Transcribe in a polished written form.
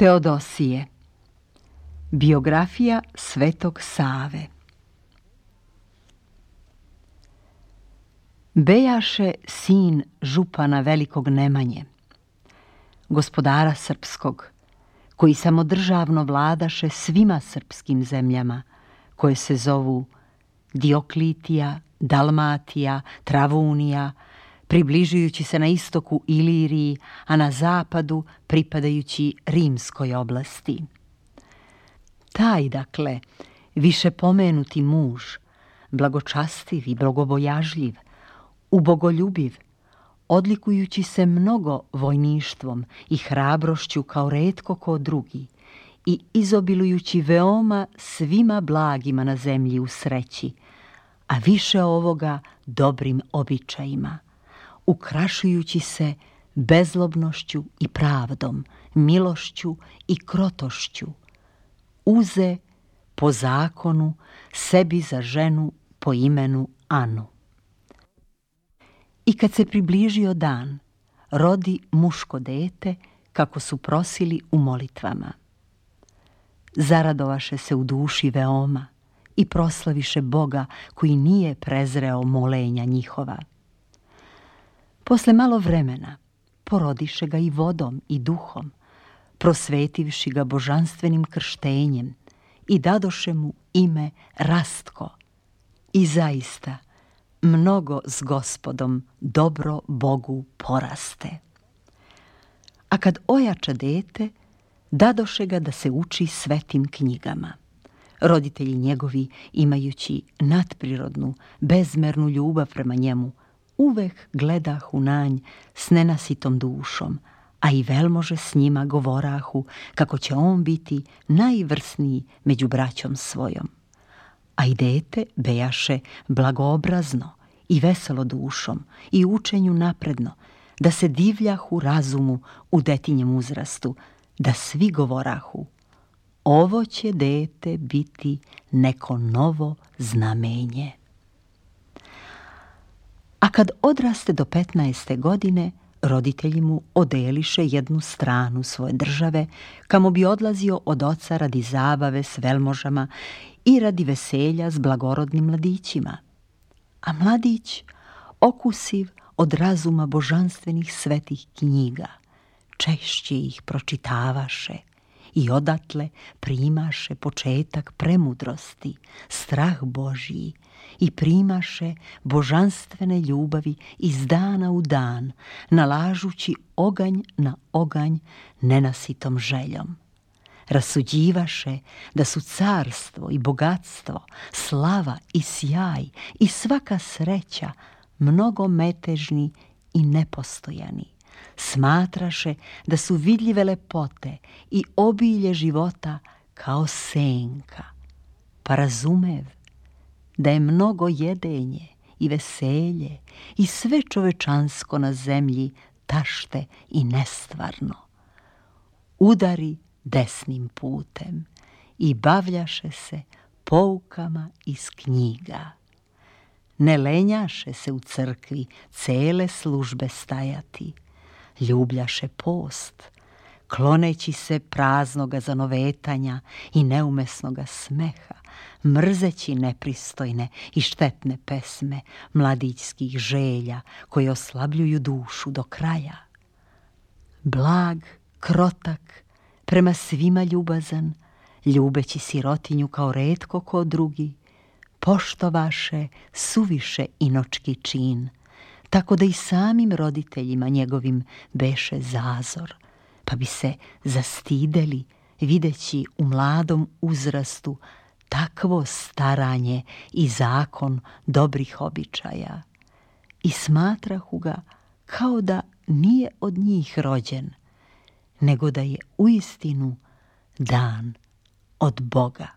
Teodosije. Biografija Svetog Save. Bejaše sin župana Velikog Nemanje, gospodara srpskog, koji samodržavno vladaše svima srpskim zemljama, koje se zovu Dioklitija, Dalmatija, Travunija, približujući se na istoku Iliriji, a na zapadu pripadajući Rimskoj oblasti. Taj, dakle, više pomenuti muž, blagočastiv i bogobojažljiv, ubogoljubiv, odlikujući se mnogo vojništvom i hrabrošću kao retko ko drugi i izobilujući veoma svima blagima na zemlji u sreći, a više ovoga dobrim običajima, ukrašujući se bezlobnošću i pravdom, milošću i krotošću, uze po zakonu sebi za ženu po imenu Anu. I kad se približio dan, rodi muško dete, kako su prosili u molitvama. Zaradovaše se u duši veoma i proslaviše Boga koji nije prezreo molenja njihova. Posle malo vremena porodiše ga i vodom i duhom, prosvetivši ga božanstvenim krštenjem i dadoše mu ime Rastko. I zaista mnogo s Gospodom dobro Bogu poraste. A kad ojača dete, dadoše ga da se uči svetim knjigama. Roditelji njegovi, imajući nadprirodnu, bezmernu ljubav prema njemu, uvek gledahu na nj s nenasitom dušom, a i velmože s njima govorahu kako će on biti najvrsniji među braćom svojom. A i dete bejaše blagoobrazno i veselo dušom i učenju napredno, da se divljahu razumu u detinjem uzrastu, da svi govorahu: ovo će dete biti neko novo znamenje. A kad odraste do 15. godine, roditelji mu odeliše jednu stranu svoje države, kamo bi odlazio od oca radi zabave s velmožama i radi veselja s blagorodnim mladićima. A mladić, okusiv od razuma božanstvenih svetih knjiga, češće ih pročitavaše i odatle primaše početak premudrosti, strah Božiji i primaše božanstvene ljubavi iz dana u dan, nalažući oganj na oganj nenasitom željom. Rasuđivaše da su carstvo i bogatstvo, slava i sjaj i svaka sreća mnogo metežni i nepostojani. Smatraše da su vidljive lepote i obilje života kao senka, pa razumev da je mnogo jedenje i veselje i sve čovečansko na zemlji tašte i nestvarno. Udari desnim putem i bavljaše se poukama iz knjiga. Ne lenjaše se u crkvi cele službe stajati, ljubljaše post, kloneći se praznoga zanovetanja i neumesnoga smeha, mrzeći nepristojne i štetne pesme mladićskih želja koje oslabljuju dušu do kraja. Blag, krotak, prema svima ljubazan, ljubeći sirotinju kao retko ko drugi, poštovaše suviše inočki čin, tako da i samim roditeljima njegovim beše zazor, pa bi se zastideli videći u mladom uzrastu takvo staranje i zakon dobrih običaja. I smatrahu ga kao da nije od njih rođen, nego da je uistinu dan od Boga.